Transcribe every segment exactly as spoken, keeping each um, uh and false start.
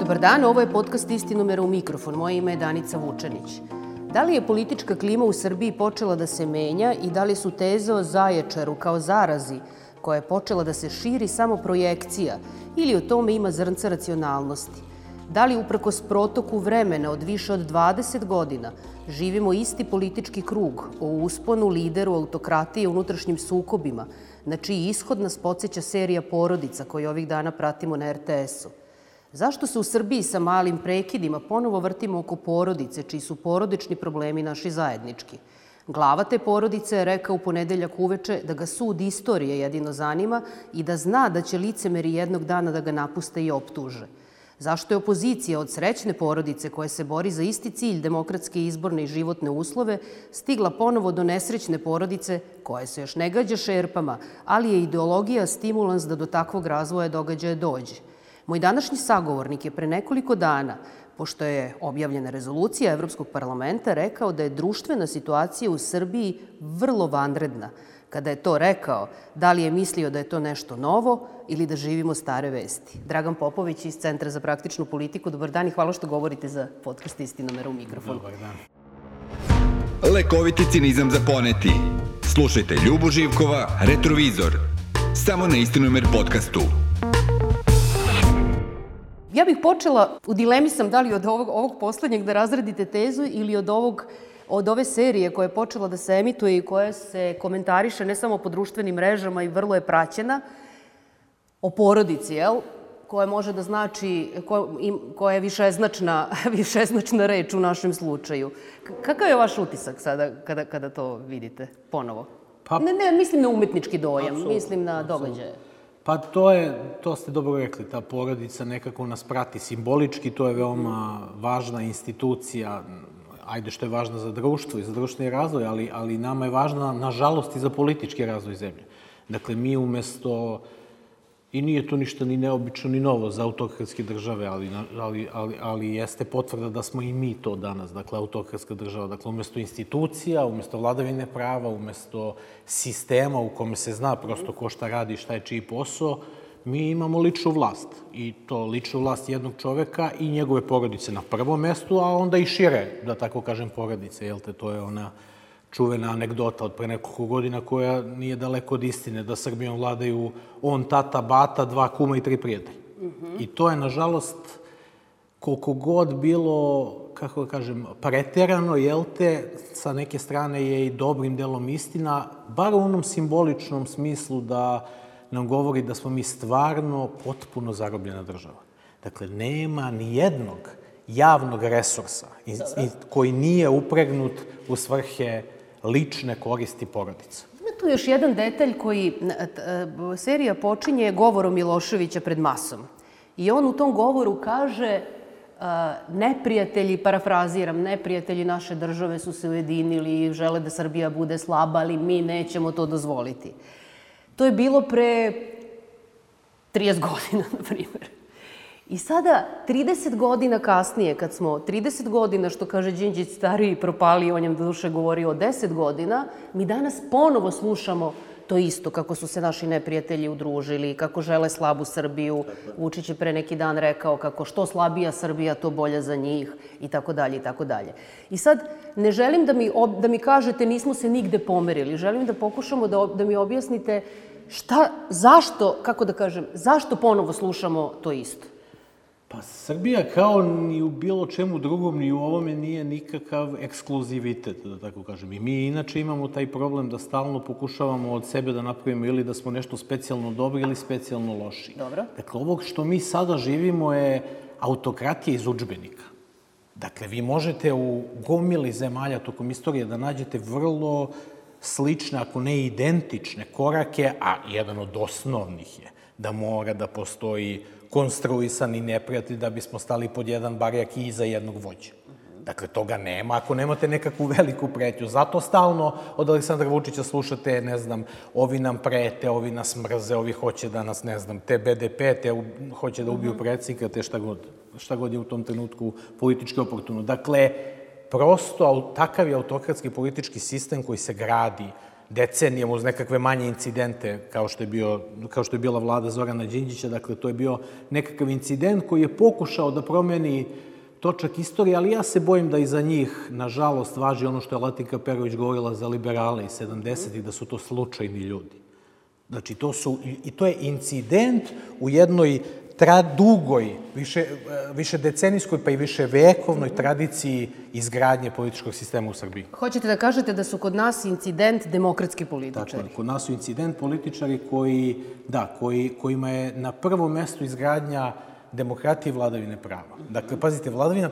Dobar dan, ovo je podcast Istinomera u mikrofon. Moje ime je Danica Vučanić. Da li je politička klima u Srbiji počela da se menja i da li su teze o Zaječaru kao zarazi koja je počela da se širi samo projekcija ili o tome ima zrnca racionalnosti? Da li uprkos protoku vremena od više od dvadeset godina živimo isti politički krug o usponu, lideru, autokratiji i unutrašnjim sukobima, na čiji ishod nas podsjeća serija Porodica koju ovih dana pratimo na er te esu? Zašto se u Srbiji sa malim prekidima ponovo vrtimo oko porodice, čiji su porodični problemi naši zajednički? Glava te porodice je rekao u ponedeljak uveče da ga sud istorije jedino zanima i da zna da će licemeri jednog dana da ga napuste i optuže. Zašto je opozicija od srećne porodice koja se bori za isti cilj, demokratske izborne i životne uslove, stigla ponovo do nesrećne porodice koja se još ne gađa šerpama, ali je ideologija stimulans da do takvog razvoja događaja dođe? Moj današnji sagovornik je pre nekoliko dana, pošto je objavljena rezolucija Evropskog parlamenta, rekao da je društvena situacija u Srbiji vrlo vanredna. Kada je to rekao, da li je mislio da je to nešto novo ili da živimo stare vesti? Dragan Popović iz Centra za praktičnu politiku. Dobar dan i hvala što govorite za podcast Istinomera u mikrofonu. Dobar dan. Lekoviti cinizam za poneti. Slušajte Ljubu Živkova, Retrovizor. Samo na Istinomer podcastu. Ja bih počela, u dilemi sam da li od ovog, ovog poslednjeg da razradite tezu ili od ovog od ove serije koja je počela da se emituje i koja se komentariše ne samo po društvenim mrežama i vrlo je praćena, o porodici, jel? Koja može da znači, koja je višeznačna, višeznačna reč u našem slučaju. Kakav je vaš utisak sada kada, kada to vidite ponovo? Pa, ne, ne, mislim na umetnički dojam, absolut, mislim na događaje. Absolut. Pa to je, to ste dobro rekli, ta porodica nekako nas prati simbolički, to je veoma važna institucija, ajde što je važna za društvo i za društveni razvoj, ali, ali nama je važna, nažalost, i za politički razvoj zemlje. Dakle, mi umesto, i nije to ništa ni neobično ni novo za autokratske države, ali, ali, ali, ali jeste potvrda da smo i mi to danas, dakle, autokratska država. Dakle, umesto institucija, umesto vladavine prava, umesto sistema u kome se zna prosto ko šta radi, šta je čiji posao, mi imamo ličnu vlast. I to ličnu vlast jednog čoveka i njegove porodice na prvom mestu, a onda i šire, da tako kažem, porodice. Jel te, to je ona čuvena anegdota od pre nekoliko godina koja nije daleko od istine, da Srbijom vladaju on, tata, bata, dva kuma i tri prijatelja. Mm-hmm. I to je, nažalost, koliko god bilo, kako da kažem, preterano, jel te, sa neke strane je i dobrim delom istina, bar u onom simboličnom smislu da nam govori da smo mi stvarno potpuno zarobljena država. Dakle, nema ni jednog javnog resursa koji nije upregnut u svrhe lične koristi porodica. Ima tu još jedan detalj koji, serija počinje govorom Miloševića pred masom. I on u tom govoru kaže, neprijatelji, parafraziram, neprijatelji naše države su se ujedinili i žele da Srbija bude slaba, ali mi nećemo to dozvoliti. To je bilo pre trideset godina, na primjer. I sada, trideset godina kasnije, kad smo trideset godina, što kaže Đinđić stariji, propali, on je do duše govorio o deset godina, mi danas ponovo slušamo to isto, kako su se naši neprijatelji udružili, kako žele slabu Srbiju. Vučić je pre neki dan rekao kako što slabija Srbija, to bolja za njih, i tako dalje, i tako dalje. I sad, ne želim da mi, da mi kažete nismo se nigde pomerili, želim da pokušamo da, da mi objasnite šta, zašto, kako da kažem, zašto ponovo slušamo to isto? Pa Srbija kao ni u bilo čemu drugom, ni u ovome nije nikakav ekskluzivitet, da tako kažem. I mi inače imamo taj problem da stalno pokušavamo od sebe da napravimo ili da smo nešto specijalno dobri ili specijalno loši. Dobro. Dakle, ovo što mi sada živimo je autokratija iz udžbenika. Dakle, vi možete u gomili zemalja tokom istorije da nađete vrlo slične, ako ne identične korake, a jedan od osnovnih je da mora da postoji konstruisani neprijatelj da bismo stali pod jedan barjak i iza jednog vođa. Dakle, toga nema ako nemate nekakvu veliku pretnju. Zato stalno od Aleksandra Vučića slušate, ne znam, ovi nam prete, ovi nas mrze, ovi hoće da nas, ne znam, te be de pe, te hoće da ubiju predsjednika, te šta god, šta god je u tom trenutku politički oportuno. Dakle, prosto takav je autokratski politički sistem koji se gradi decenijama uz nekakve manje incidente kao što je, bio, kao što je bila vlada Zorana Đinđića. Dakle, to je bio nekakav incident koji je pokušao da promeni točak istorije, ali ja se bojim da iza njih, nažalost, važi ono što je Latinka Perović govorila za liberale iz sedamdesetih, da su to slučajni ljudi. Znači, to su, i to je incident u jednoj dugoj, više, više decenijskoj, pa i više vekovnoj tradiciji izgradnje političkog sistema u Srbiji. Hoćete da kažete da su kod nas incident demokratski političari? Tako, kod nas su incident političari koji, da, koji, kojima je na prvom mestu izgradnja demokratije i vladavine prava. Dakle, pazite, vladavina,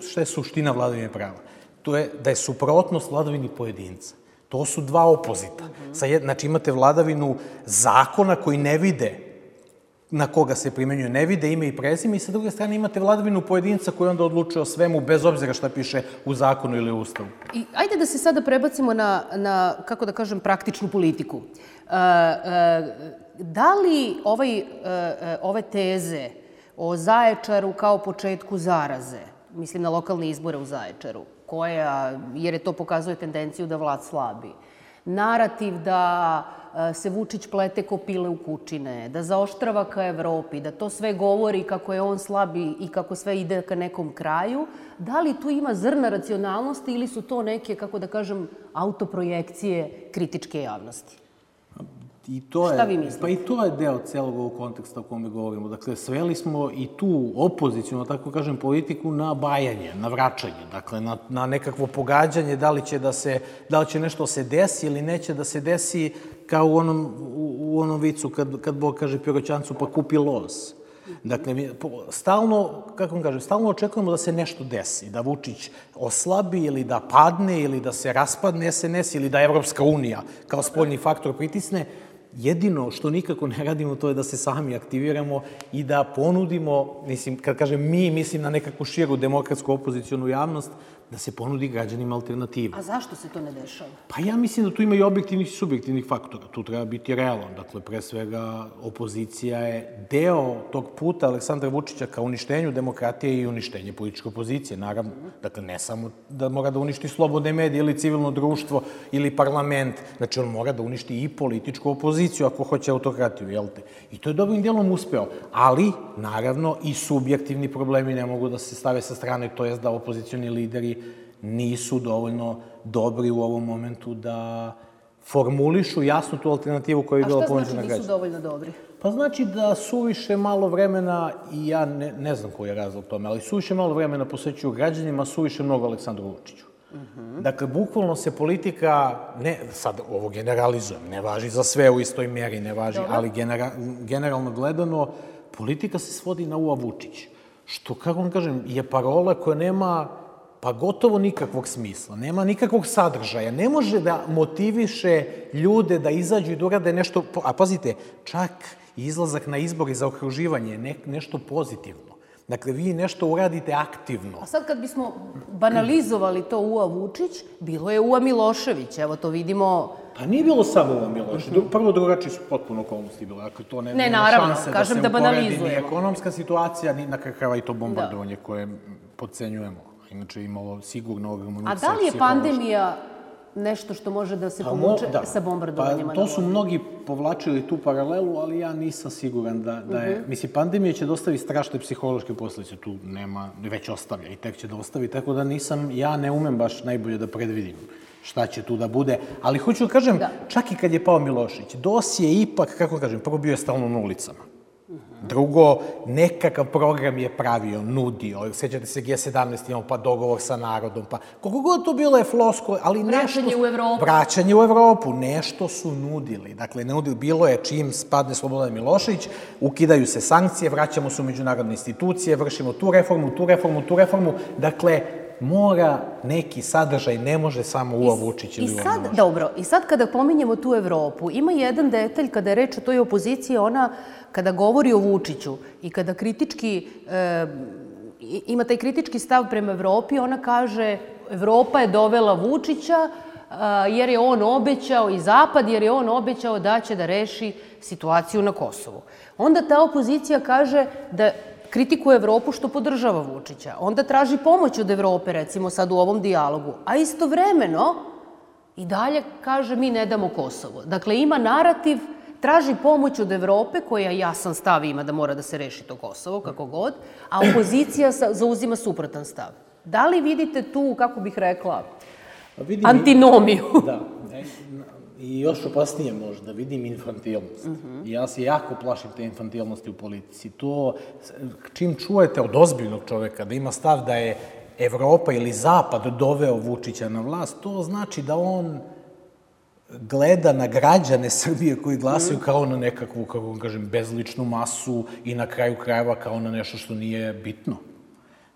šta je suština vladavine prava? To je da je suprotnost vladavini pojedinca. To su dva opozita. Znači, imate vladavinu zakona koji ne vide na koga se primenjuje, ne vide ime i prezime, i sa druge strane imate vladavinu pojedinca koji onda odlučuje o svemu, bez obzira šta piše u zakonu ili u ustavu. I ajde da se sada prebacimo na, na kako da kažem, praktičnu politiku. E, e, da li ovaj, e, ove teze o Zaječaru kao početku zaraze, mislim na lokalne izbore u Zaječaru, koja, jer je to pokazuje tendenciju da vlast slabi, narativ da se Vučić plete ko pile u kučine, da zaoštrava ka Evropi, da to sve govori kako je on slabi i kako sve ide ka nekom kraju, da li tu ima zrna racionalnosti ili su to neke, kako da kažem, autoprojekcije kritičke javnosti? I to je, Šta vi mislite? Pa i to je deo celog ovog konteksta o kome govorimo. Dakle, sveli smo i tu opozicijnu, tako kažem, politiku na bajanje, na vraćanje, dakle, na, na nekakvo pogađanje, da li će da se, da li će nešto se desi ili neće da se desi, kao u onom, u, u onom vicu kad, kad Bog kaže Piroćancu pa kupi loz. Dakle, mi stalno, kako vam kažem, stalno očekujemo da se nešto desi, da Vučić oslabi ili da padne ili da se raspadne es en es ili da Evropska unija kao spoljni faktor pritisne. Jedino što nikako ne radimo, to je da se sami aktiviramo i da ponudimo, mislim, kad kažem mi, mislim na nekakvu širu demokratsku opozicijonu javnost, da se ponudi građanima alternativa. A zašto se to ne dešava? Pa ja mislim da tu ima i objektivnih i subjektivnih faktora. Tu treba biti realan. Dakle, pre svega, opozicija je deo tog puta Aleksandra Vučića ka uništenju demokratije i uništenje političke opozicije, naravno. Dakle, ne samo da mora da uništi slobodne medije ili civilno društvo ili parlament. Znači, on mora da uništi i političku opoziciju ako hoće autokratiju, jel te? I to je dobrim dijelom uspeo. Ali, naravno, i subjektivni problemi ne mogu da se stave sa strane, to je da opozicioni lideri nisu dovoljno dobri u ovom momentu da formulišu jasno tu alternativu koja je bila ponuđena građanima. A šta znači nisu dovoljno dobri? Pa znači da suviše malo vremena, i ja ne, ne znam koji je razlog tome, ali suviše malo vremena posvećuju građanima, suviše mnogo Aleksandru Vučiću. Uh-huh. Dakle, bukvalno se politika, ne, sad ovo generalizujem, ne važi za sve u istoj mjeri, ne važi, Dobar. ali genera, generalno gledano, politika se svodi na Ua Vučić. Što, kako vam kažem, je parola koja nema pa gotovo nikakvog smisla, nema nikakvog sadržaja, ne može da motiviše ljude da izađu i da urade nešto, a pazite, čak izlazak na izbor i zaokruživanje je ne, nešto pozitivno. Dakle, vi nešto uradite aktivno. A sad kad bismo banalizovali to Ua Vučić, bilo je Ua Milošević, evo to vidimo. Pa nije bilo samo Ua Milošević, prvo drugačiji su potpuno okolnosti bile, dakle to ne, ne nema naravno, šanse kažem da se da uporedi ni ekonomska situacija, ni na kraju i to bombardovanje da. koje podcenjujemo. Inače imalo sigurno ogromno utjecaj. A da li je pandemija nešto što može da se povuče da. sa bombardovanjima? Pa to su mnogi povlačili tu paralelu, ali ja nisam siguran da, da je... Uh-huh. Mislim, pandemija će dostaviti strašne psihološke posljedice, tu nema, već ostavlja i tek će da ostavi, tako da nisam, ja ne umem baš najbolje da predvidim šta će tu da bude, ali hoću da kažem, da. čak i kad je pao Milošević, dos je ipak, kako kažem, prvo bio je stalno na ulicama. Drugo, nekakav program je pravio, nudio. Sjećate se G sedamnaest, imamo pa dogovor sa narodom, pa koliko god to bilo je flosko, ali nešto... Vraćanje u Evropu. Vraćanje u Evropu. Nešto su nudili. Dakle, nudili, bilo je čim spadne Slobodan Milošević, ukidaju se sankcije, vraćamo se u međunarodne institucije, vršimo tu reformu, tu reformu, tu reformu. Dakle, mora neki sadržaj, ne može samo Ua Vučić ili Ua Milošević. Dobro, i sad kada pominjemo tu Evropu, ima jedan detalj kada je reč o toj opoziciji, ona kada govori o Vučiću i kada kritički, e, ima taj kritički stav prema Evropi, ona kaže Evropa je dovela Vučića a, jer je on obećao i Zapad, jer je on obećao da će da reši situaciju na Kosovu. Onda ta opozicija kaže da kritikuje Evropu što podržava Vučića. Onda traži pomoć od Evrope, recimo sad u ovom dijalogu. A istovremeno i dalje kaže mi ne damo Kosovo. Dakle, ima narativ, traži pomoć od Evrope, koja jasan stav ima da mora da se reši to Kosovo, kako god, a opozicija zauzima suprotan stav. Da li vidite tu, kako bih rekla, antinomiju? Da. I još opasnije možda, vidim infantilnost. I ja se jako plašim te infantilnosti u politici. To, čim čujete od ozbiljnog čoveka da ima stav da je Evropa ili Zapad doveo Vučića na vlast, to znači da on gleda na građane Srbije koji glasaju kao na nekakvu, kako vam kažem, bezličnu masu i na kraju krajeva kao na nešto što nije bitno.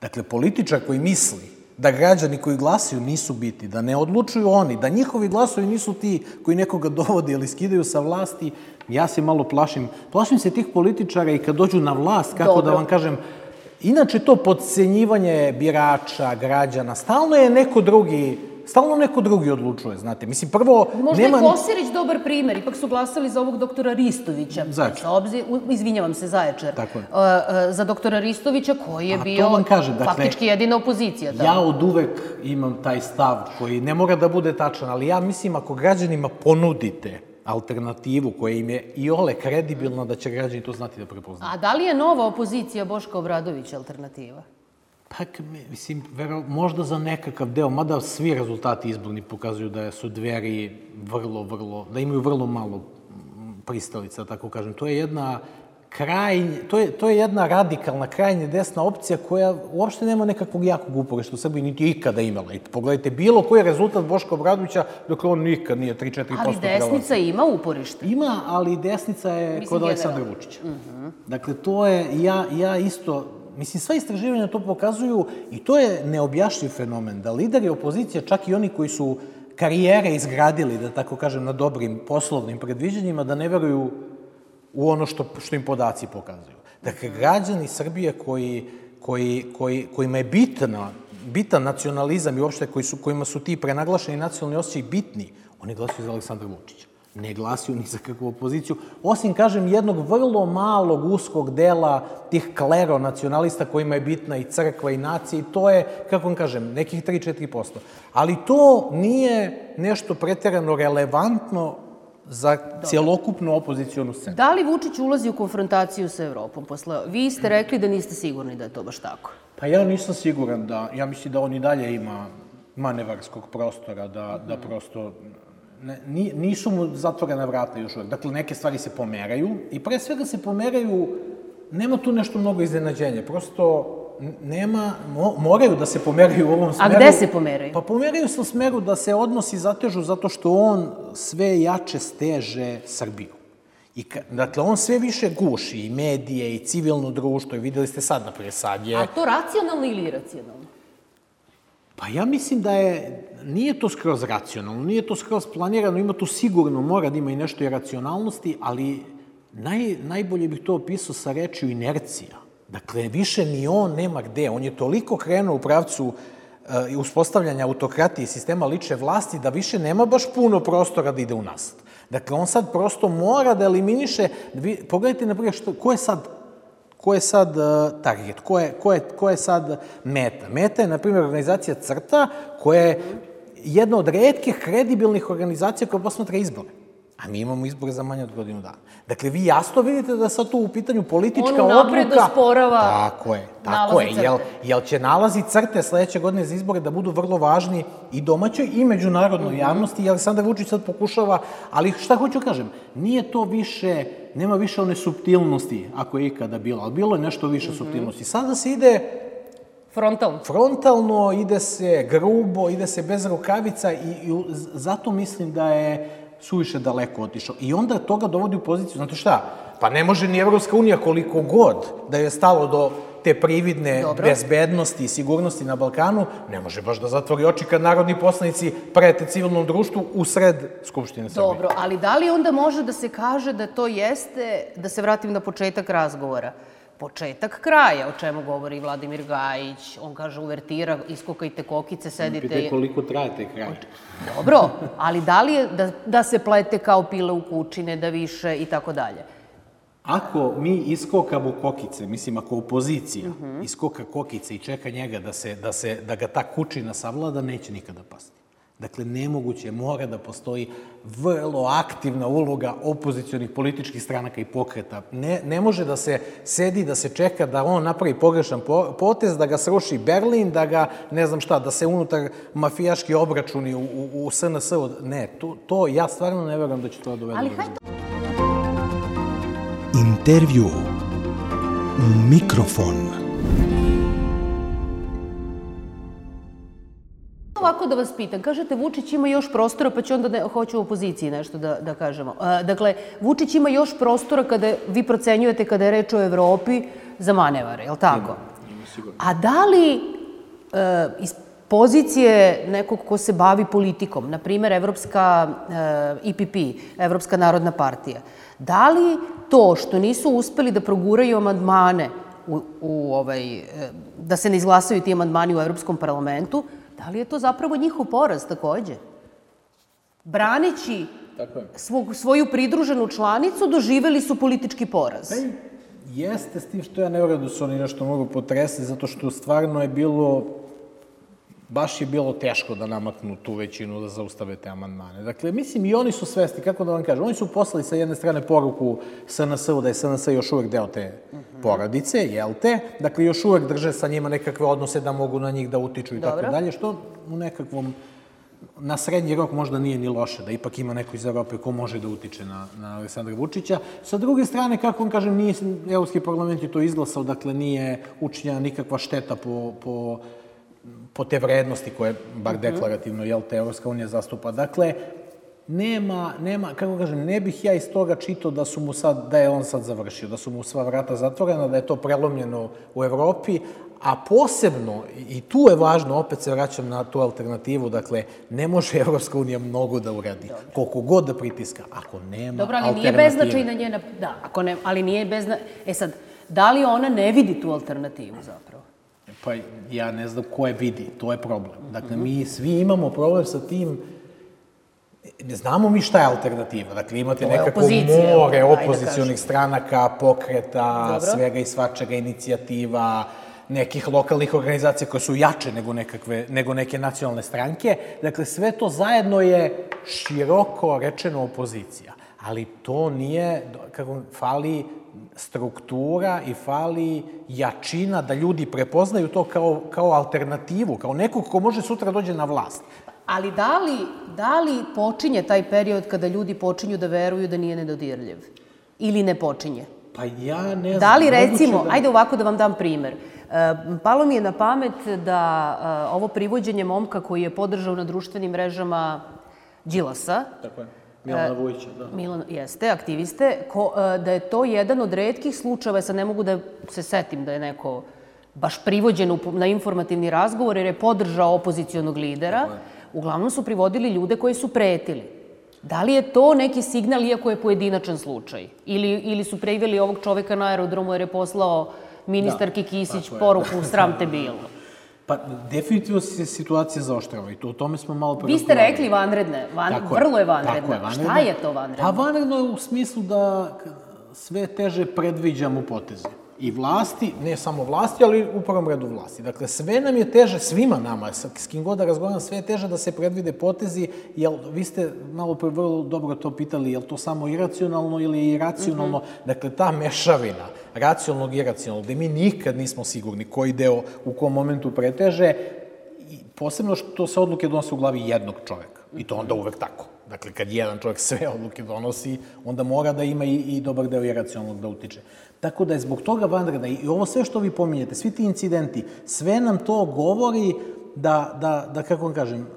Dakle, političar koji misli da građani koji glasaju nisu bitni, da ne odlučuju oni, da njihovi glasovi nisu ti koji nekoga dovode ili skidaju sa vlasti, ja se malo plašim. Plašim se tih političara i kad dođu na vlast, kako da vam kažem, inače to podcenjivanje birača, građana, stalno je neko drugi, stalno neko drugi odlučuje, znate. Mislim, prvo... Možda je Kosirić dobar primer, ipak su glasali za ovog doktora Ristovića. Zaječar. Izvinjavam se, Zaječar. Tako je. Za doktora Ristovića, koji je bio faktički jedina opozicija. Ja od uvek imam taj stav koji ne mora da bude tačan, ali ja mislim ako građanima ponudite alternativu koja im je i ole kredibilna, da će građani to znati da prepoznaju. A da li je nova opozicija Boška Obradovića alternativa? Pa, mislim, možda za nekakav deo, mada svi rezultati izborni pokazuju da su Dveri vrlo, vrlo, da imaju vrlo malo pristalica, tako kažem. To je jedna krajnje, to je, to je jedna radikalna, krajnje desna opcija koja uopšte nema nekakvog jakog uporišta u Srbiji, niti je ikada imala. I pogledajte, bilo koji je rezultat Boška Obradovića, dok on nikad nije tri do četiri posto prelazio. Ali desnica ima uporište. Ima, ali desnica je kod Aleksandra Vučića. Dakle, to je, ja isto... Mislim, sva istraživanja to pokazuju i to je neobjašnjiv fenomen, da lideri opozicije, čak i oni koji su karijere izgradili, da tako kažem, na dobrim poslovnim predviđanjima, da ne veruju u ono što im podaci pokazuju. Dakle, građani Srbije kojima je bitan nacionalizam i uopšte kojima su ti prenaglašeni nacionalni osjećaji bitni, oni glasuju za Aleksandra Vučića. Ne glasiju ni za kakvu opoziciju, osim, kažem, jednog vrlo malog, uskog dela tih klero-nacionalista kojima je bitna i crkva i nacija i to je, kako vam kažem, nekih tri do četiri posto. Ali to nije nešto preterano relevantno za cjelokupnu opozicijonu scenu. Da li Vučić ulazi u konfrontaciju sa Evropom? Vi ste rekli da niste sigurni da je to baš tako. Pa ja nisam siguran da, ja mislim da on i dalje ima manevarskog prostora, da prosto... Nisu mu zatvorena vrata još uvek. Dakle, neke stvari se pomeraju i pre svega se pomeraju, nema tu nešto mnogo iznenađenja. Prosto nema, moraju da se pomeraju u ovom smeru. A gde se pomeraju? Pa pomeraju se u smeru da se odnosi zatežu zato što on sve jače steže Srbiju. Dakle, on sve više guši i medije i civilno društvo i videli ste sad, naprijed sad je... A to racionalno ili iracionalno? Pa ja mislim da je, nije to skroz racionalno, nije to skroz planirano, ima tu sigurno, mora da ima i nešto iracionalnosti, ali najbolje bih to opisao sa rečju inercija. Dakle, više ni on nema gde. On je toliko krenuo u pravcu uspostavljanja autokratije i sistema lične vlasti da više nema baš puno prostora da ide unazad. Dakle, on sad prosto mora da eliminiše, pogledajte na primjer ko je sad Ko je sad target? Ko je sad meta? Meta je, na primjer, organizacija CRTA, koja je jedna od retkih kredibilnih organizacija koja posmatra izbore. A mi imamo izbore za manje od godinu dana. Dakle, vi jasno vidite da je sad tu u pitanju politička odluka... On unapred osporava tako je, tako je. Jel će nalazi CRTE sledeće godine za izbore da budu vrlo važni i domaćoj i međunarodnoj javnosti i Aleksandar Vučić sad pokušava, ali šta hoću kažem, nije to više, nema više one suptilnosti, ako je ikada bilo, ali bilo je nešto više suptilnosti. Sada se ide... Frontalno. Frontalno, ide se grubo, ide se bez rukavica i zato mislim da je suviše daleko otišao. I onda toga dovodi u poziciju, znate šta, pa ne može ni Evropska unija koliko god da je stalo do te prividne bezbednosti i sigurnosti na Balkanu, ne može baš da zatvori oči kad narodni poslanici prete civilnom društvu u sred Skupštine Srbije. Dobro, ali da li onda može da se kaže da to jeste, da se vratim na početak razgovora, početak kraja, o čemu govori Vladimir Gajić, on kaže uvertira, iskokajte kokice, sedite... Pitaj koliko traje taj kraj. Dobro, ali da li je da se plete kao pile u kučine, da više i tako dalje? Ako mi iskokamo kokice, mislim ako opozicija iskoka kokice i čeka njega da ga ta kučina savlada, neće nikada pasti. Dakle, nemoguće, mora da postoji vrlo aktivna uloga opozicionih političkih stranaka i pokreta. Ne, ne može da se sedi, da se čeka da on napravi pogrešan potez, da ga sruši Berlin, da ga, ne znam šta, da se unutar mafijaški obračuni u, u, u S N S. Ne, to, to ja stvarno ne verujem da će to dovede. Ali hajde... Intervju. Mikrofon. Ovako da vas pitam, kažete Vučić ima još prostora, pa ću onda ne, hoću u opoziciji nešto da, da kažemo. A, dakle, Vučić ima još prostora kada vi procenjujete kada je reč o Evropi za manevare, je li tako? Ima, ima sigurno. A da li e, iz pozicije nekog ko se bavi politikom, na primer Evropska e, I P P, Evropska narodna partija, da li to što nisu uspeli da proguraju amandmane u, u ovaj, e, da se ne izglasaju ti amandmani u Evropskom parlamentu, da li je to zapravo njihov poraz takođe? Braneći svog, svoju pridruženu članicu, doživeli su politički poraz. Pa jeste, s tim što ja ne vjerujem da su oni nešto mogu potresli, zato što stvarno je bilo, baš je bilo teško da namaknu tu većinu da zaustave te amandmane. Dakle, mislim, i oni su svesni, kako da vam kažem, oni su poslali sa jedne strane poruku S N S-u da je S N S još uvek deo te porodice, jel te? Dakle, još uvek drže sa njima nekakve odnose da mogu na njih da utiču i tako dalje, što u nekakvom, na srednji rok možda nije ni loše, da ipak ima neko iz Evrope ko može da utiče na, na Aleksandra Vučića. Sa druge strane, kako vam kažem, nije Evropski parlament je to izglasao, dakle, nije učinjena nikakva šteta po, po po te vrednosti koje, bar deklarativno, jel te, Evropska unija zastupa. Dakle, nema, nema, kako kažem, ne bih ja iz toga čitao da su mu sad, da je on sad završio, da su mu sva vrata zatvorena, da je to prelomljeno u Evropi, a posebno, i tu je važno, opet se vraćam na tu alternativu, dakle, ne može Evropska unija mnogo da uradi, koliko god da pritiska, ako nema Dobro, ali alternative. nije beznačajna njena, da, ako ne, ali nije beznačajna, e sad, da li ona ne vidi tu alternativu zapravo? Pa ja ne znam ko je vidi, to je problem. Dakle, mi svi imamo problem sa tim, ne znamo mi šta je alternativa. Dakle, imate nekako more opozicionih stranaka, pokreta, svega i svačega, inicijativa, nekih lokalnih organizacija koje su jače nego, nekakve, nego neke nacionalne stranke. Dakle, sve to zajedno je široko rečeno opozicija. Ali to nije, kako fali struktura i fali jačina da ljudi prepoznaju to kao, kao alternativu, kao nekog ko može sutra dođe na vlast. Ali da li, da li počinje taj period kada ljudi počinju da veruju da nije nedodirljiv? Ili ne počinje? Pa ja ne znam. Da li recimo, da... ajde ovako da vam dam primer. Palo mi je na pamet da ovo privođenje momka koji je podržao na društvenim mrežama Đilasa, tako je. Milana Vujića, da. Milan, jeste, aktiviste, ko, da je to jedan od retkih slučajeva, sad ne mogu da se setim da je neko baš privođen na informativni razgovor jer je podržao opozicionog lidera, uglavnom su privodili ljude koji su pretili. Da li je to neki signal, iako je pojedinačan slučaj? Ili, ili su priveli ovog čoveka na aerodromu jer je poslao ministarki Kisić poruku sram te bilo? Pa, definitivno se situacija zaoštrava i to, o tome smo malo pre... Vi ste rekli vanredne, Van, vrlo je vanredna. Tako je, vanredna. Šta je to vanredno? Pa vanredno je u smislu da sve teže predviđamo poteze. I vlasti, ne samo vlasti, ali u prvom redu vlasti. Dakle, sve nam je teže, svima nama, s kim god da razgovaram, sve je teže da se predvide potezi, jer vi ste malo pre vrlo dobro to pitali, je li to samo iracionalno ili iracionalno? Mm-hmm. Dakle, ta mešavina racionalnog i iracionalnog, gde mi nikad nismo sigurni koji deo u kom momentu preteže, posebno što se odluke donose u glavi jednog čoveka. I to onda uvek tako. Dakle, kad jedan čovjek sve odluke donosi, onda mora da ima i, i dobar deo iracionalnog da utiče. Tako da je zbog toga vanredna i ovo sve što vi pominjete, svi ti incidenti, sve nam to govori da, da, da kako vam kažem,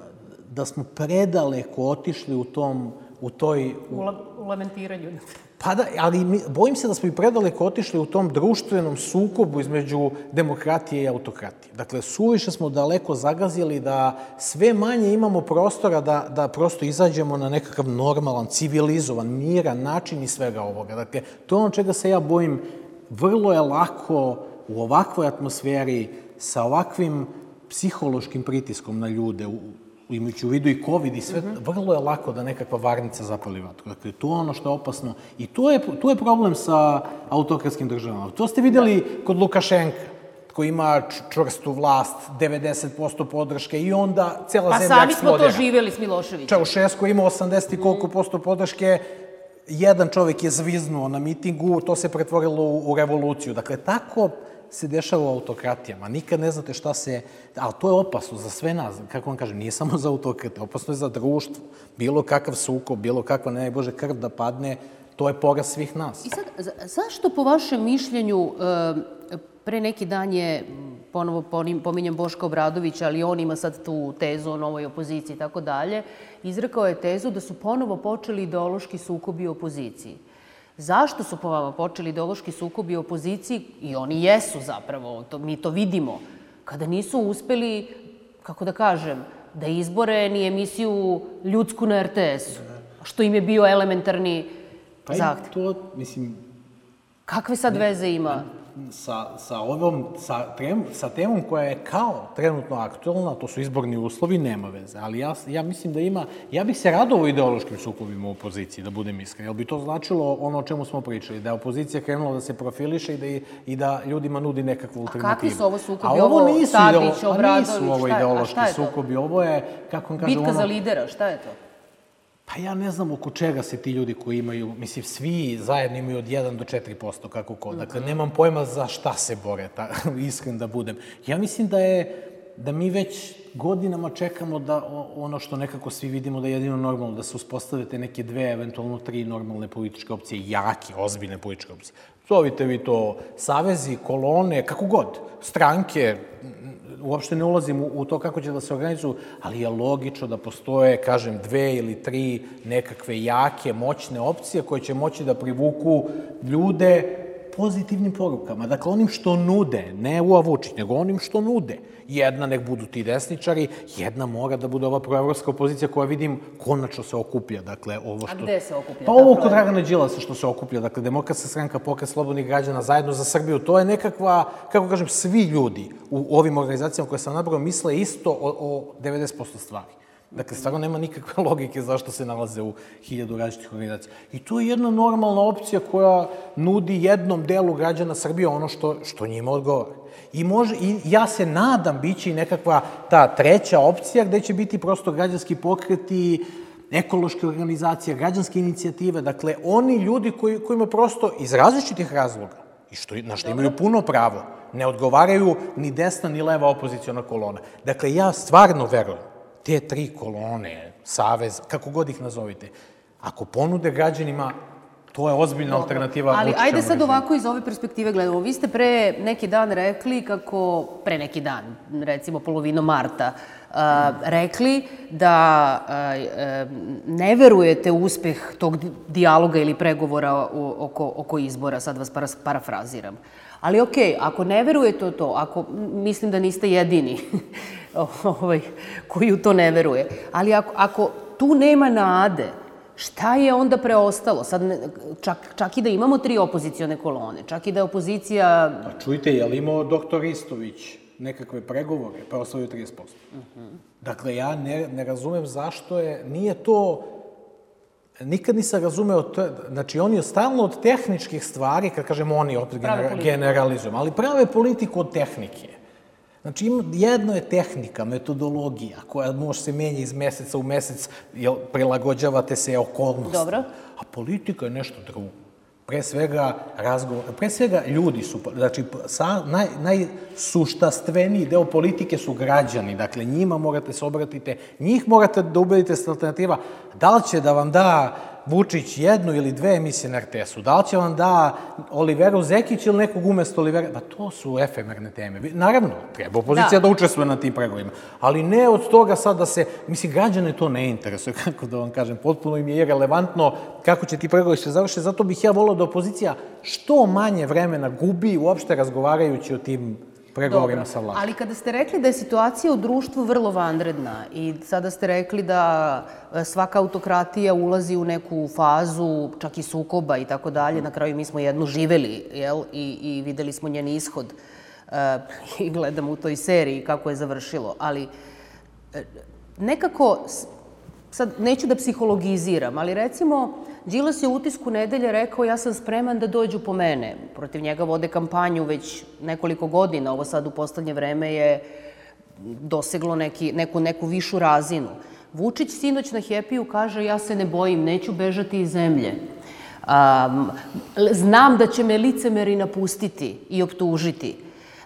da smo predaleko otišli u tom, u toj... U, la, u lamentiranju. Pa da, ali mi, bojim se da smo i predaleko otišli u tom društvenom sukobu između demokratije i autokratije. Dakle, suviše smo daleko zagazili da sve manje imamo prostora da, da prosto izađemo na nekakav normalan, civilizovan, miran način i svega ovoga. Dakle, to je ono čega se ja bojim. Vrlo je lako u ovakvoj atmosferi, sa ovakvim psihološkim pritiskom na ljude, imajući u vidu i COVID i sve, vrlo je lako da nekakva varnica zapali vatru. Dakle, to je ono što je opasno. I to je, tu je problem sa autokratskim državama. To ste videli kod Lukašenka. koji ima čvrstu vlast, devedeset posto podrške i onda cela pa zemlja sami smo eksplodira. to živeli s Miloševićem. Čaušesku ima osamdeset i koliko posto podrške, jedan čovjek je zviznuo na mitingu, to se pretvorilo u, u revoluciju. Dakle, tako se dešava u autokratijama. Nikad ne znate šta se... Ali to je opasno za sve nas. Kako vam kažem, nije samo za autokrate, opasno je za društvo. Bilo kakav sukob, bilo kakva, ne bože, krv da padne, to je poraz svih nas. I sad, zašto po vašem mišljenju, pre neki dan je, ponovo pominjem Boška Obradovića, ali on ima sad tu tezu o novoj opoziciji i tako dalje, izrekao je tezu da su ponovo počeli ideološki sukobi u opoziciji. Zašto su po vama počeli ideološki sukobi u opoziciji? I oni jesu zapravo, mi to vidimo, kada nisu uspeli, kako da kažem, da izbore ni emisiju Ljudsku na er te esu, što im je bio elementarni zahtev. Pa i to, mislim... Kakve sad veze ima? Sa, sa, ovom, sa, trem, sa temom koja je kao trenutno aktualna, to su izborni uslovi, nema veze. Ali ja, ja mislim da ima... Ja bih se radovao ideološkim sukobima u opoziciji, da budem iskren. Jel bi to značilo ono o čemu smo pričali? Da je opozicija krenula da se profiliše i da, i da ljudima nudi nekakvu alternativu. A kakvi su ovo sukobi? A ovo nisu, Tadić, ideolo, Obradović, nisu ovo ideološki sukobi. Ovo je, kako vam kažem... Bitka ono, za lidera, šta je to? Pa ja ne znam oko čega se ti ljudi koji imaju, mislim, svi zajedno imaju od jedan do četiri posto, kako ko. Dakle, nemam pojma za šta se bore, ta, iskren da budem. Ja mislim da je, da mi već godinama čekamo da ono što nekako svi vidimo da je jedino normalno, da se uspostavite neke dve, eventualno tri normalne političke opcije, jake, ozbiljne političke opcije. Zovite vi to savezi, kolone, kako god, stranke, uopšte ne ulazim u to kako će da se organizuju, ali je logično da postoje, kažem, dve ili tri nekakve jake, moćne opcije koje će moći da privuku ljude pozitivnim porukama. Dakle, onim što nude, ne u Vučić, nego onim što nude. Jedna nek budu ti desničari, jedna mora da bude ova proevropska opozicija koja vidim konačno se okuplja. Dakle, ovo što... A gde se okuplja? Pa ovo kod Dragana Đilasa što se okuplja. Dakle, Demokratska stranka, Pokret slobodnih građana, Zajedno za Srbiju, to je nekakva, kako kažem, svi ljudi u ovim organizacijama koje sam nabrao misle isto o, o devedeset posto stvari. Dakle, stvarno nema nikakve logike zašto se nalaze u hiljadu različitih organizacija. I to je jedna normalna opcija koja nudi jednom delu građana Srbije ono što, što njima odgovara. I, može, I ja se nadam biće i nekakva ta treća opcija gde će biti prosto građanski pokreti, ekološke organizacije, građanske inicijative. Dakle, oni ljudi koji, kojima prosto iz različitih razloga, i što, na što imaju puno pravo, ne odgovaraju ni desna ni leva opoziciona kolona. Dakle, ja stvarno verujem, te tri kolone, savez, kako god ih nazovite, ako ponude građanima, to je ozbiljna alternativa Vučićevom režimu. Ali ajde sad ovako iz ove perspektive gledamo. Vi ste pre neki dan rekli kako, pre neki dan, recimo polovinom marta, rekli da ne verujete u uspeh tog dijaloga ili pregovora oko, oko izbora, sad vas parafraziram. Ali okej, ako ne verujete u to, ako, mislim da niste jedini ovaj, koji u to ne veruje, ali ako, ako tu nema nade, šta je onda preostalo? Sad, čak, čak i da imamo tri opozicione kolone, čak i da je opozicija... Pa čujte, je li imao doktor Istović nekakve pregovore, pa osvojio trideset posto? Dakle, ja ne, ne razumem zašto je, nije to... Nikad nisam razumeo, to, znači oni stalno od tehničkih stvari, kad kažemo oni, opet generalizujem, ali prave politiku od tehnike. Znači, jedno je tehnika, metodologija, koja može se menja iz meseca u mesec, jel, prilagođavate se okolnosti. Dobro. A politika je nešto drugo. Pre svega, razgovor, pre svega ljudi su, znači, sa, naj, najsuštastveniji deo politike su građani, dakle, njima morate se obratite, njih morate da ubedite s alternativa, da li će da vam da Vučić jednu ili dve emisije na er te esu, da li će vam da Oliveru Zekić ili nekog umesto Olivera, pa to su efemerne teme. Naravno, treba opozicija da, da učestvuje na tim pregovorima, ali ne od toga sad da se, mislim, građane to ne interesuje, kako da vam kažem, potpuno im je irelevantno kako će ti pregovori se završiti, zato bih ja volao da opozicija što manje vremena gubi uopšte razgovarajući o tim pregovorima sa vlasti. Ali kada ste rekli da je situacija u društvu vrlo vanredna i sada ste rekli da svaka autokratija ulazi u neku fazu čak i sukoba i tako dalje, na kraju mi smo jednu živeli, jel, i, i videli smo njen ishod uh, i gledamo u toj seriji kako je završilo, ali uh, nekako sad neću da psihologiziram, ali recimo, Đilas je u Utisku nedelje rekao ja sam spreman da dođu po mene. Protiv njega vode kampanju već nekoliko godina, ovo sad u poslednje vreme je doseglo neki, neku, neku višu razinu. Vučić sinoć na Happy-u kaže ja se ne bojim, neću bežati iz zemlje. Um, znam da će me licemeri napustiti i optužiti.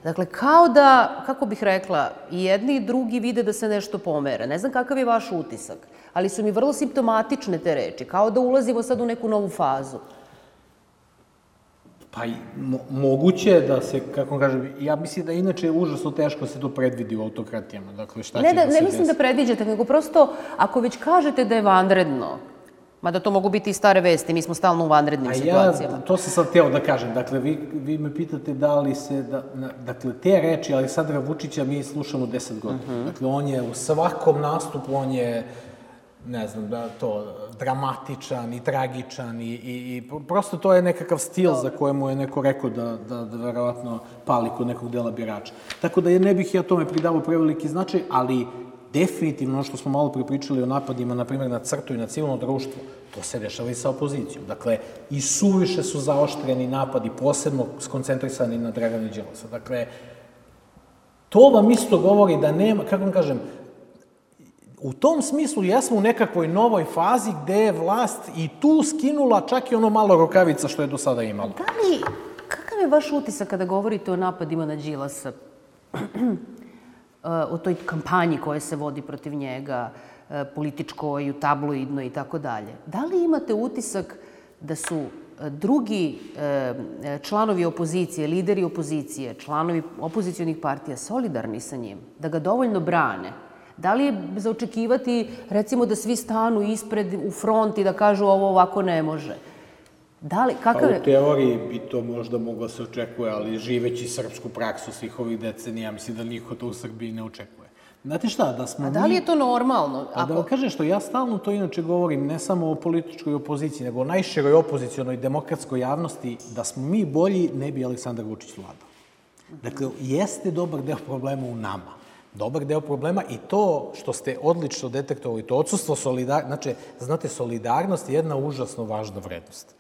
Dakle, kao da, kako bih rekla, i jedni i drugi vide da se nešto pomere. Ne znam kakav je vaš utisak, ali su mi vrlo simptomatične te reči, kao da ulazimo sad u neku novu fazu. Pa mo, moguće je da se, kako kažem, ja mislim da inače je užasno teško da se to predvidi u autokratijama. Dakle, šta ne će da, da se ne mislim desi? da predviđate, nego prosto, ako već kažete da je vanredno, mada to mogu biti i stare vesti, mi smo stalno u vanrednim A situacijama. ja, to sam sad hteo da kažem. Dakle, vi, vi me pitate da li se, da, na, dakle, te reči Aleksandra Vučića mi slušamo deset godina. Uh -huh. Dakle, on je u svakom nastupu, on je, ne znam, da to, dramatičan i tragičan i, i, i prosto to je nekakav stil za kojemu je neko rekao da, da, da verovatno pali kod nekog dela birača. Tako da je, ne bih ja tome pridavao preveliki značaj, ali definitivno ono što smo malo pripričali o napadima, na primjer, na crtu i na civilno društvo, to se dešava i sa opozicijom. Dakle, i suviše su zaoštreni napadi, posebno skoncentrisani na Dragana Đilasa. Dakle, to vam isto govori da nema, kako vam kažem, u tom smislu jesmo u nekakvoj novoj fazi gde je vlast i tu skinula čak i ono malo rukavica što je do sada imala. Da li, kakav je vaš utisak kada govorite o napadima na Đilasa? O toj kampanji koja se vodi protiv njega, političkoj, tabloidnoj i tako dalje. Da li imate utisak da su drugi članovi opozicije, lideri opozicije, članovi opozicionih partija solidarni sa njim, da ga dovoljno brane? Da li je za očekivati, recimo, da svi stanu ispred u front i da kažu ovo ovako ne može? Da li, kakav je... Pa u teoriji bi to možda moglo se očekuje, ali živeći srpsku praksu svih ovih decenija, mislim da niko to u Srbiji ne očekuje. Znate šta, da smo mi... A da li je to normalno? A da vam kažem što, ja stalno to inače govorim, ne samo o političkoj opoziciji, nego o najširoj opozicionoj demokratskoj javnosti, da smo mi bolji, ne bi Aleksandar Vučić vladao. Dakle, jeste dobar deo problema u nama. Dobar deo problema i to što ste odlično detektovali, to odsustvo solidarnosti, znači, znate, solidarnost je jedna užasno važna vrednost.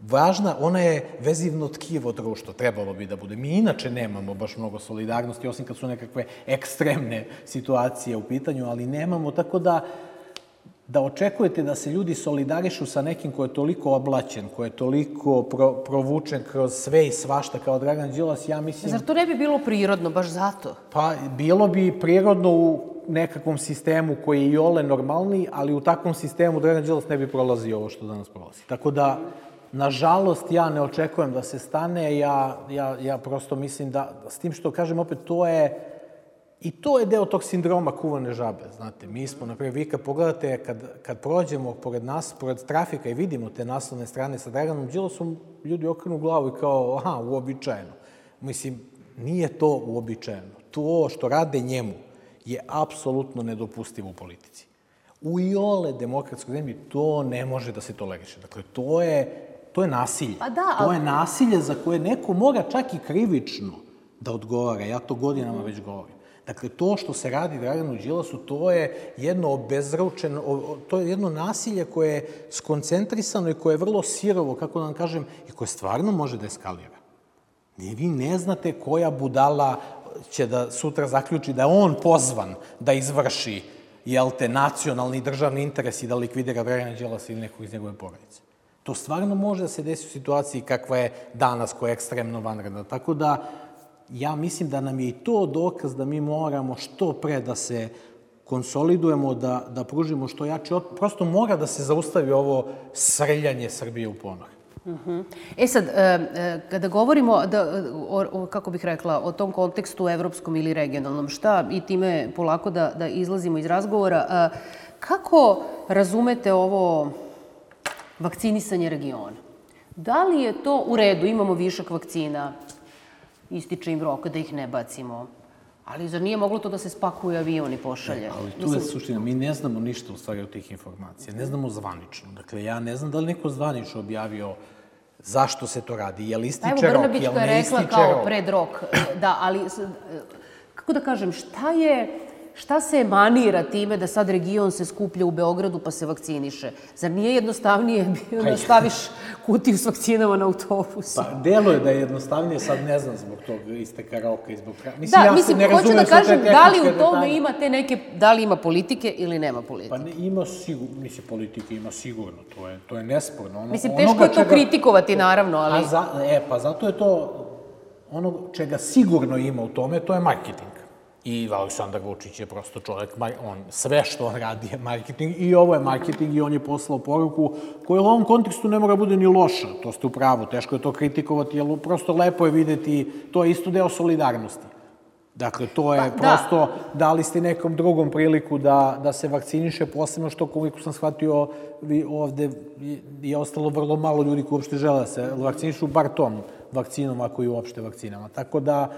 Važna, ona je vezivno tkivo društvo, trebalo bi da bude. Mi inače nemamo baš mnogo solidarnosti, osim kad su nekakve ekstremne situacije u pitanju, ali nemamo, tako da da očekujete da se ljudi solidarišu sa nekim ko je toliko oblaćen, ko je toliko pro, provučen kroz sve i svašta kao Dragan Đilas, ja mislim... Zar to ne bi bilo prirodno, baš zato? Pa, bilo bi prirodno u nekakvom sistemu koji je i ole normalniji, ali u takvom sistemu Dragan Đilas ne bi prolazio ovo što danas prolazi. Tako da, nažalost, ja ne očekujem da se stane, ja, ja, ja prosto mislim da, s tim što kažem opet, to je, i to je deo tog sindroma kuvane žabe, znate. Mi smo, naprijed, vi kad pogledate, kad, kad prođemo pored nas, pored trafika i vidimo te naslovne strane sa Draganom Đilasom, ljudi okrenu glavu i kao, aha, uobičajeno. Mislim, nije to uobičajeno. To što rade njemu je apsolutno nedopustivo u politici. U iole demokratskoj zemlji to ne može da se toleriše. Dakle, to je, to je nasilje. Pa da, to ali... je nasilje za koje neko mora čak i krivično da odgovara. Ja to godinama već govorim. Dakle, to što se radi Draganu Đilasu, to je jedno obezručeno, to je jedno nasilje koje je skoncentrisano i koje je vrlo sirovo, kako da vam kažem, i koje stvarno može da eskalira. Vi ne znate koja budala će da sutra zaključi da je on pozvan da izvrši, jel te, nacionalni i državni interes i da likvidira Dragana Đilasa ili nekog iz njegove porodice. To stvarno može da se desi u situaciji kakva je danas, koja je ekstremno vanredna. Tako da, ja mislim da nam je i to dokaz da mi moramo što pre da se konsolidujemo, da, da pružimo što jače. Prosto mora da se zaustavi ovo srljanje Srbije u ponor. Uh-huh. E sad, kada govorimo, da, o, kako bih rekla, o tom kontekstu evropskom ili regionalnom, šta, i time polako da, da izlazimo iz razgovora, kako razumete ovo vakcinisanje regiona? Da li je to u redu, imamo višak vakcina, ističe im rok da ih ne bacimo, ali zar nije moglo to da se spakuje avion i pošalje? Ne, ali tu je suština, mi ne znamo ništa u stvari od tih informacija, ne znamo zvanično. Dakle, ja ne znam da li neko zvanično objavio zašto se to radi, je li ističe rok, je li ne ističe rok? Evo, Brnabićka je rekla kao pred rok, da, ali, kako da kažem, šta je, Šta se emanira time da sad region se skuplja u Beogradu pa se vakciniše? Zar nije jednostavnije bio da staviš kutiju s vakcinama na autobusu? Pa, delo je da je jednostavnije, sad ne znam zbog tog isteka roka i zbog... Mislim, Da, ja mislim, ne hoću razumem da sve te kažem, da li tehničke u tome detalje. ima te neke, da li ima politike ili nema politike? Pa ne, ima sigurno, mislim, politike ima sigurno, to je, to je nesporno. Ono, Mislim, teško onoga je to čega- kritikovati, naravno, ali... A za, e, pa zato je to, ono čega sigurno ima u tome, to je marketing. I Aleksandar Vučić je prosto čovjek, mar- on, sve što on radi je marketing i ovo je marketing i on je poslao poruku koja u ovom kontekstu ne mora bude ni loša, to ste u pravu, teško je to kritikovati, jer prosto lepo je videti, to je isto deo solidarnosti. Dakle, to je Pa, da. prosto, dali ste nekom drugom priliku da, da se vakciniše, posebno što, koliko sam shvatio, vi ovde je ostalo vrlo malo ljudi koji uopšte žele da se vakcinišu, bar tom vakcinom, ako i uopšte vakcinama. Tako da,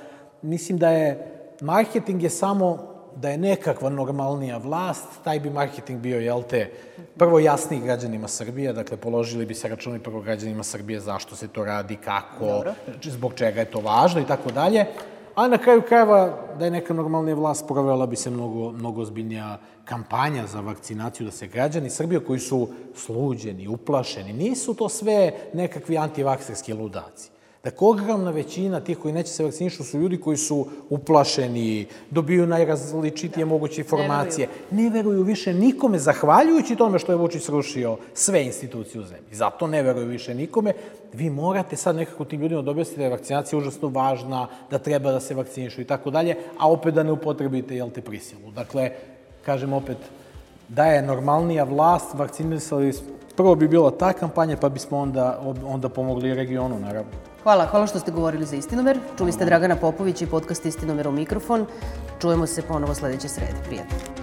mislim da je, marketing je samo da je nekakva normalnija vlast, taj bi marketing bio, jel te, prvo jasniji građanima Srbije, dakle, položili bi se računi prvo građanima Srbije zašto se to radi, kako, zbog čega je to važno i tako dalje. A na kraju krajeva, da je neka normalnija vlast, provela bi se mnogo, mnogo ozbiljnija kampanja za vakcinaciju, da se građani Srbije koji su sluđeni, uplašeni, nisu to sve nekakvi antivakserski ludaci. Dakle, ogromna većina tih koji neće se vakcinišu su ljudi koji su uplašeni, dobiju najrazličitije moguće informacije, ne veruju više nikome, zahvaljujući tome što je Vučić srušio sve institucije u zemlji. Zato ne veruju više nikome. Vi morate sad nekako tim ljudima da objasnite da je vakcinacija užasno važna, da treba da se vakcinišu i tako dalje, a opet da ne upotrebite, jel te, prisilu. Dakle, kažem opet, da je normalnija vlast, vakcinisali, prvo bi bila ta kampanja, pa bismo onda, onda pomogli regionu, naravno. Hvala, hvala što ste govorili za Istinomer. Čuli ste Dragana Popović i podcast Istinomer u mikrofon. Čujemo se ponovo sledeće srede. Prijatno.